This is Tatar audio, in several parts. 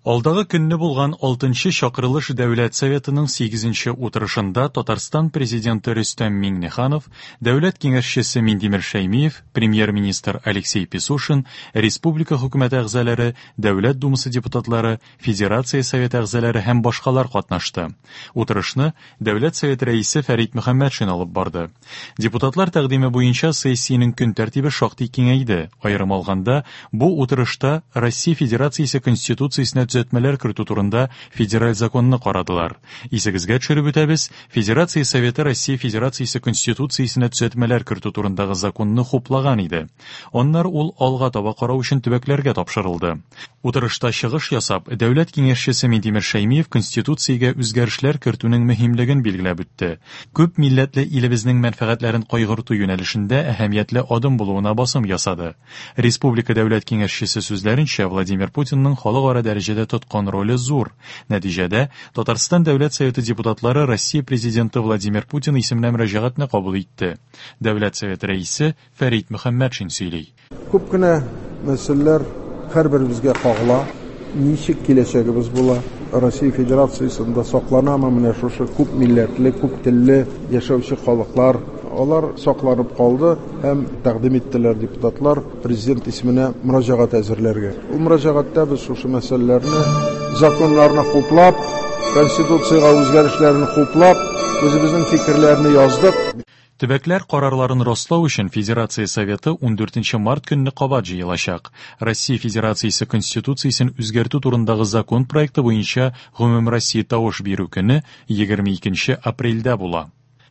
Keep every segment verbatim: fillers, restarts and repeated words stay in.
Алдагы көнне булган алтынчы чакырылыш Дәүләт Советының сигезенче утырышында Татарстан Президенты Рөстәм Миңнеханов, Дәүләт Киңәшчесе Минтимер Шәймиев, Премьер-министр Алексей Песошин, республика хөкүмәте әгъзалары, Дәүләт Думасы депутатлары, Федерация Советы әгъзалары һәм башкалар катнашты. Утырышны Дәүләт Советы рәисе Фәрит Мөхәммәтшин алып барды. Депутатлар тәкъдиме буенча сессиянең көн тәртибе шактый киңәйде. Аерым алганда, бу утырышта Россия Федерациясе Конституциясенә төзәтмәләр кертү турында федераль законны карадылар. Исегезгә төшереп үтәбез, Федерация Советы Россия Федерациясе Конституциясенә төзәтмәләр кертү турындагы законны хуплаган иде. Аннары ул алга таба карау өчен төбәкләргә тапшырылды. Утырышта чыгыш ясап, Дәүләт Киңәшчесе Минтимер Шәймиев Конституциягә үзгәрешләр кертүнең мөһимлеген билгеләп үтте. Күп милләтле илебезнең мәнфәгатьләрен кайгырту юнәлешендә әһәмиятле адым булуына басым ясады. Республика Дәүләт Киңәшчесе сүзләренчә, Владимир Путинның халыкара дәрәҗәдә тоткан роле зур. Нәтиҗәдә, Татарстан Дәүләт Советы депутатлары Россия Президенты Владимир Путин исеменә мөрәҗәгатьне кабул итте. Дәүләт Советы рәисе Фәрит Мөхәммәтшин сөйли. Күп кенә мәсьәләләр һәрберебезгә кагыла. Ничек киләчәгебез була? Россия Федерациясендә сакланамы менә шушы күп милләтле, күп телле яшәүче халыклар? Алар сакланып калды һәм тәкъдим иттеләр депутатлар президент исеменә мөрәҗәгать әзерләргә. Ул мөрәҗәгатьтә без шушы мәсьәләләрне, законнарны хуплап, Конституциягә үзгәрешләрне хуплап, үзебезнең фикерләрне яздык. Төбәкләр карарларын раслау өчен Федерация Советы ундүртенче март көнне кабат җыелачак. Россия Федерациясе Конституциясен үзгәртү турындагы закон проекты буенча гомумроссия тавыш бирү көне егерме икенче апрельдә була.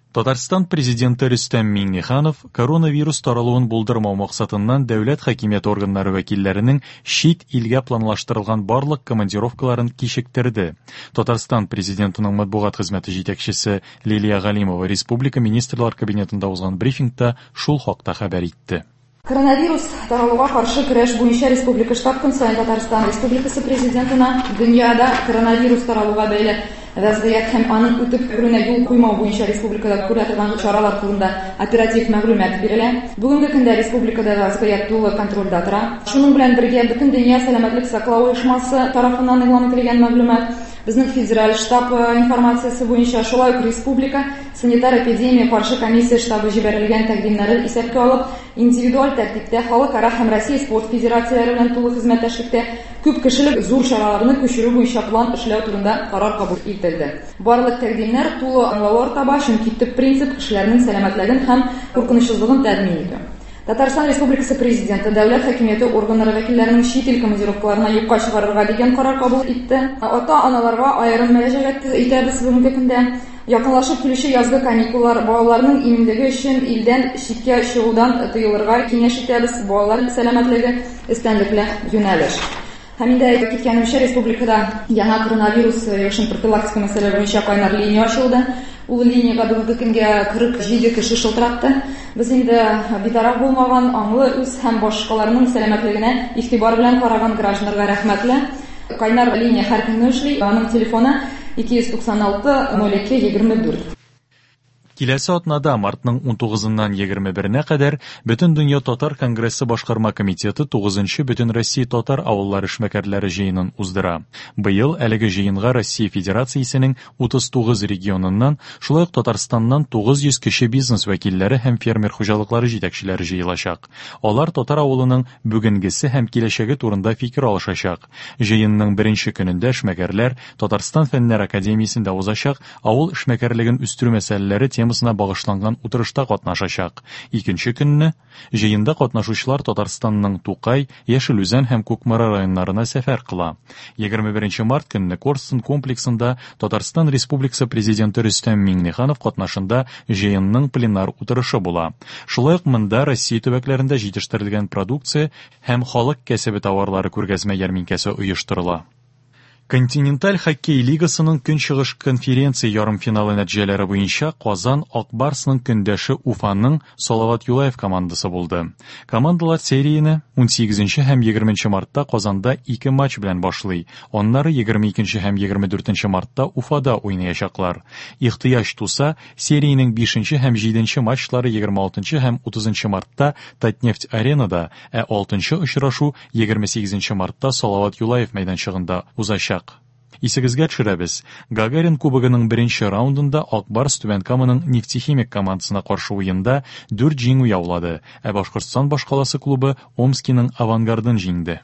Татарстан Президенты Рөстәм Миңнеханов коронавирус таралуын булдырмау максатыннан дәүләт хакимияте органнары вәкилләренең чит илгә планлаштырылган барлык командировкаларын кичектерде. Татарстан Президентының матбугат хезмәте җитәкчесе Лилия Галимова Республика Министрлар Кабинетында узган брифингта шул хакта хәбәр итте. Коронавирус таралуга каршы көрәш буенча Республика штаб көн саен Татарстан Республикасы Президентына дөньяда коронавирус таралуга бәйле вәзгыять һәм аның үтеп керүенә юл куймау буенча республикада күрә торган чаралар турында оператив мәгълүмат бирелә. Бүгенге көндә республикада вәзгыять тулы контрольдә тора. Шуның белән бергә Бөтен дөнья сәламәтлек саклау оешмасы тарафыннан игълан ителгән мәгълүмат, безнең федераль штаб информациясе буенча шулай ук республика санитар эпидемия каршы комиссия штабы җибәрелгән тәкъдимнәрен исәпкә алып, индивидуаль тәртиптә халыкара һәм Россия спорт федерацияләре белән тулы хезмәттәшлектә күп кешелек зур чараларны күчерү буенча план эшләү турында карар кабул ителде. Барлык тәкъдимнәр тулы аңлаулар таба, чөнки төп принцип кешеләрнең сәламәтлеген һәм куркынычсызлыгын тәэмин итү. Татарстан Республикасы Президенты дәүләт хакимияте органнары вәкилләренең чит ил командировкаларына юкка чыгарырга дигән карар кабул итте. Ата-аналарга аерым мөрәҗәгать итәбез бүгенге көндә. Якынлашып килүче язгы каникуллар балаларның иминлеге өчен илдән читкә чыгудан тыелырга киңәш итәбез. Балалар сәламәтлеге өстенлекле юнәлеш. Һәм инде әйтеп киткәнемчә, республикада яңа коронавирус йогышын профилактика мәсьәләре буенча кайнар линия ачылды. Ул линиягә бүгенге көнгә кырык җиде кеше шылтыратты. Без инде битараф булмаган, аңлы үз һәм башкаларның сәламәтлегенә игътибар белән караган гражданнарга рәхмәтле. Кайнар линия һәр көнне эшли. Аның телефоны ике йөз туксан алты ноль ике егерме дүрт. Киләсе атнада мартның унтугызыннан егерме беренә кадәр Бөтендөнья Татар Конгрессы башкарма комитеты тугызынчы Бөтенроссия татар авыллары эшмәкәрләре җыенын уздыра. Быел әлеге җыенга Россия Федерациясенең утыз тугыз регионыннан, шулай ук Татарстаннан тугыз йөз кече бизнес вәкилләре һәм фермер хуҗалыклары җитәкчеләре җыелачак. Алар татар авылының бүгенгесе һәм киләчәге турында фикер алышачак. Җыенның беренче көнендә эшмәкәрләр Татарстан Фәннәр Академиясендә узачак авыл эшмәкәрлеген үстерү мәсьәләләре темасына багышланган утырышта катнашачак. Икенче көнне җыенда катнашучылар Татарстанның Тукай, Яшел Үзән һәм Кукмара районнарына сәфәр кыла. Егерме беренче март көнне Корстон комплексында Татарстан Республикасы Президенты Рөстәм Миңнеханов катнашында җыенның пленар утырышы була. Шулай ук монда Россия төбәкләрендә җитештерелгән продукция һәм халык кәсебе товарлары күргәзмә ярминкәсе оештырыла. Континенталь хоккей лигасының Көнчыгыш конференция ярымфиналы нәтиҗәләре буенча Казан Ак Барсның көндәше Уфаның Салават Юлаев командасы булды. Командалар серияне унсигезенче һәм егерменче мартта Казанда ике матч белән башлый. Аннары егерме икенче һәм егерме дүртенче мартта Уфада уйнаячаклар. Ихтыяҗ туса, сериянең бишенче һәм җиденче матчлары егерме алтынчы һәм утызынчы мартта Татнефть аренада, ә алтынчы очрашу егерме сигезенче мартта Салават Юлаев мәйданчыгында узачак. Исегезгә төшерәбез, Гагарин кубогының беренче раундында Ак Барс Түбән Каманың Нефтехимик командасына каршы уенда дүрт җиңү яулады, ә Башкортстан башкаласы клубы Омскиның Авангардын җиңде.